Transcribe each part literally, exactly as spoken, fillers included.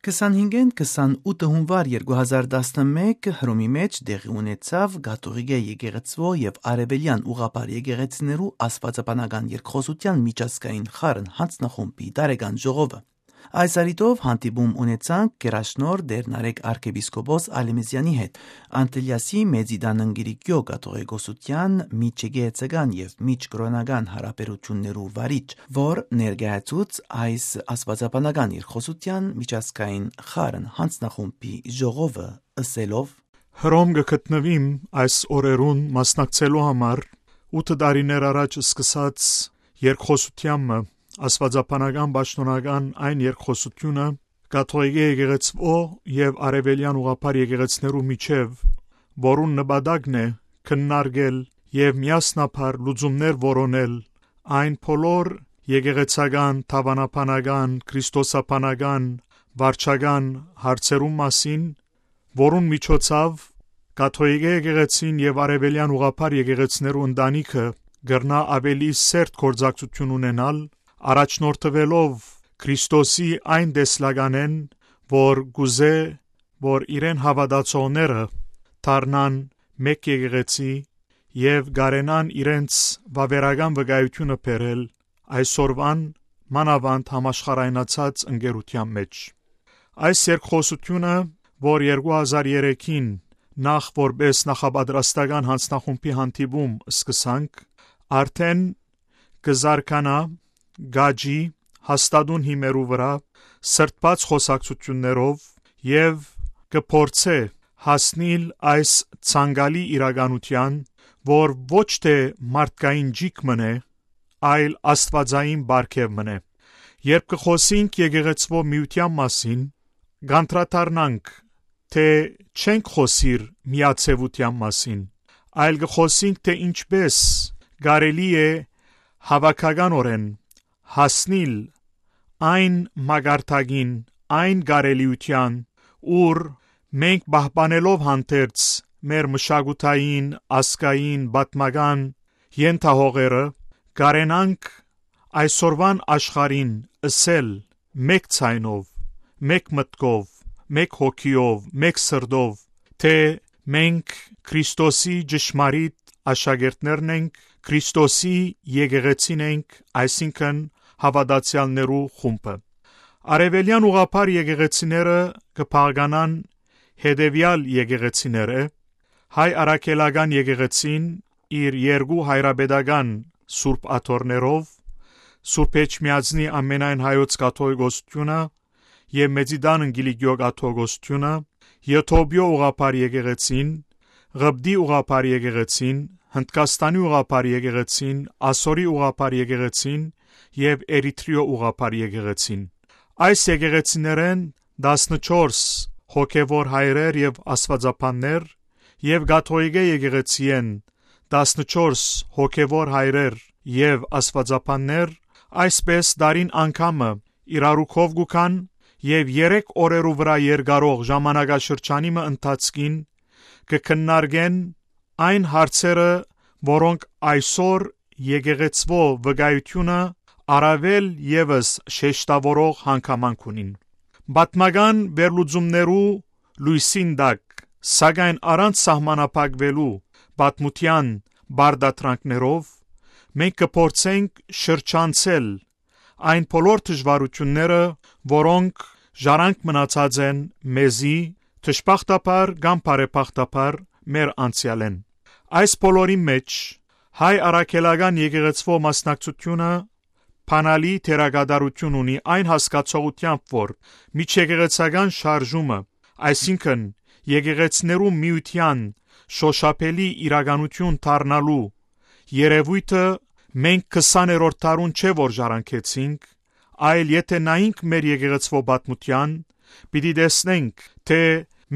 Քսանհինգէն քսանութ հունուար երկու հազար տասնմէկ Հռոմի մէջ տեղի ունեցաւ Կաթողիկէ եկեղեցւոյ եւ Արեւելեան ուղղափառ եկեղեցիներու աստուածաբանական երկխօսութեան միջազգային խառն յանձնախումբի տարեկան ժողովը։ Այս առիթով հանդիպում ունեցանք գերաշնորհ Տէր Նարեկ արքեպիսկոպոս Ալեմեզեանի հետ, Անտիլիասի Մեծի Տան Կիլիկիոյ կաթողիկոսութեան միջեկեղեցական եւ միջկրօնական յարաբերութիւններու վարիչ, որ ներկայացուց այս աստուածաբանական երկխօսութեան միջազգային խառն յանձնախումբի ժողովը, ըսելով. «Հռոմ կը գտնուիմ այս օրերուն մասնակցելու համար ութ տարիներ առաջ սկսած երկխօսութեան մը, աստուածաբանական պաշտօնական այն երկխօսութիւնը, կաթողիկէ եկեղեցւոյ եւ արեւելեան ուղղափառ եկեղեցիներու միջեւ, որուն նպատակն է քննարկել եւ միասնաբար լուծումներ որոնել այն բոլոր եկեղեցական, դաւանաբանական, քրիստոսաբանական, վարչական հարցերուն մասին, որուն միջոցաւ կաթողիկէ եկեղեցին եւ արեւելեան ուղղափառ եկեղեցիներու ընտանիքը կրնայ աւելի սերտ գործակցութիւն ունենալ, առաջնորդուելով Քրիստոսի այն տեսլականէն, որ կ'ուզէ, որ իրեն հաւատացողները դառնան մէկ եկեղեցի եւ կարենան իրենց վաւերական վկայութիւնը բերել այսօրուան մանաւանդ համաշխարհայնացած ընկերութեան մէջ»։ Այս երկխօսութիւնը, որ երկու հազար երեքին նախ որպէս նախապատրաստական յանձնախումբի հանդիպում սկսանք, արդէն կը զարգանայ, կ'աճի հաստատուն հիմերու վրայ սրբած խօսակցութիւններով եւ կը փորձէ հասնիլ այս ցանկալի իրականութեան, որ ոչ թէ մարդկային ճիգ մըն է, այլ աստուածային պարգեւ մըն է։ Երբ կը խօսինք եկեղեցւոյ միութեան մասին, կ'անդրադառնանք, թէ չենք խօսիր միաձեւութեան մասին, այլ կը խօսինք, թէ ինչպէս կարելի է հաւաքականօրէն հասնիլ այն մակարդակին, այն կարելիութեան, ուր մենք պահպանելով հանդերձ մեր մշակութային, ազգային, պատմական ենթահողերը, կարենանք այսօրուան աշխարհին ըսել մէկ ձայնով, մէկ մտքով, մէկ հոգիով, մէկ սրտով, թէ մենք Քրիստոսի ճշմարիտ աշակերտներն ենք, Քրիստոսի եկեղեցին ենք, այսինքն՝ հաւատացեալներու խումբը։ Արեւելեան ուղղափառ եկեղեցիները կը բաղկանան հետեւեալ եկեղեցիները. հայ առաքելական եկեղեցին իր երկու հայրապետական սուրբ աթոռներով, Սուրբ Էջմիածնի ամենայն հայոց կաթողիկոսութիւնը եւ Մեծի Տան Կիլիկիոյ կաթողիկոսութիւնը, Եթովպիոյ ուղղափառ եկեղեցին, Ղպտի ուղղափառ եկեղեցին, Հնդկաստանի ուղղափառ եկեղեցին, Ասորի ուղղափառ եկեղեցին եւ Էրիթրիոյ ուղղափառ եկեղեցին։ Այս եկեղեցիներէն տասնչորս հոգեւոր հայրեր եւ աստուածաբաններ եւ կաթողիկէ եկեղեցիէն տասնչորս հոգեւոր հայրեր եւ աստուածաբաններ այսպէս տարին անգամը իրարու քով կու գան եւ երեք օրերու վրայ երկարող ժամանակաշրջանի մը ընթացքին կը քննարկեն այն հարցերը, որոնք այսօր եկեղեցւոյ վկայութիւնը առաւել եւս շեշտաւորող հանգամանք ունին։ Պատմական վերլուծումներու լոյսին տակ, սակայն առանց սահմանափակուելու պատմութեան պարտադրանքներով, մենք կը փորձենք շրջանցել այն բոլոր դժուարութիւնները, որոնք ժառանգ մնացած են մեզի, դժբախտաբար կամ բարեբախտաբար, մեր անցեալէն։ Այս բոլորին մէջ հայ առաքելական եկեղեցւոյ մասնակցութիւնը բանալի դերակատարութիւն ունի այն հասկացողութեամբ, որ միջեկեղեցական շարժումը, այսինքն՝ եկեղեցիներու միութեան շոշափելի իրականութիւն դառնալու երեւոյթը մենք քսաներորդ դարուն չէ որ ժառանգեցինք, այլ եթէ նայինք մեր եկեղեցւոյ պատմութեան, պիտի տեսնենք, թէ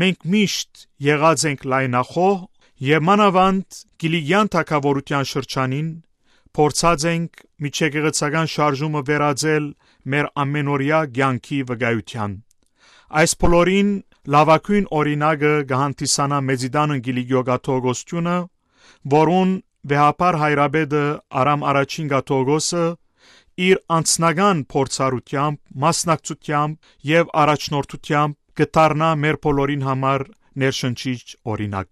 մենք միշտ եղած ենք լայնախոհ եւ մանաւանդ Կիլիկիան թագաւորութեան շրջանին փորձած ենք միջեկեղեցական շարժումը վերածել մեր ամենօրեայ կեանքի վկայութեան։ Այս բոլորին լաւագոյն օրինակը կը հանդիսանայ Մեծի Տան Կիլիկիոյ կաթողիկոսութիւնը, որուն վեհափառ հայրապետը Արամ Առաջին կաթողիկոսը իր անձնական փորձառութեամբ, մասնակցութեամբ եւ առաջնորդութեամբ կը դառնայ մեր բոլորին համար ներշնչիչ օրինակ։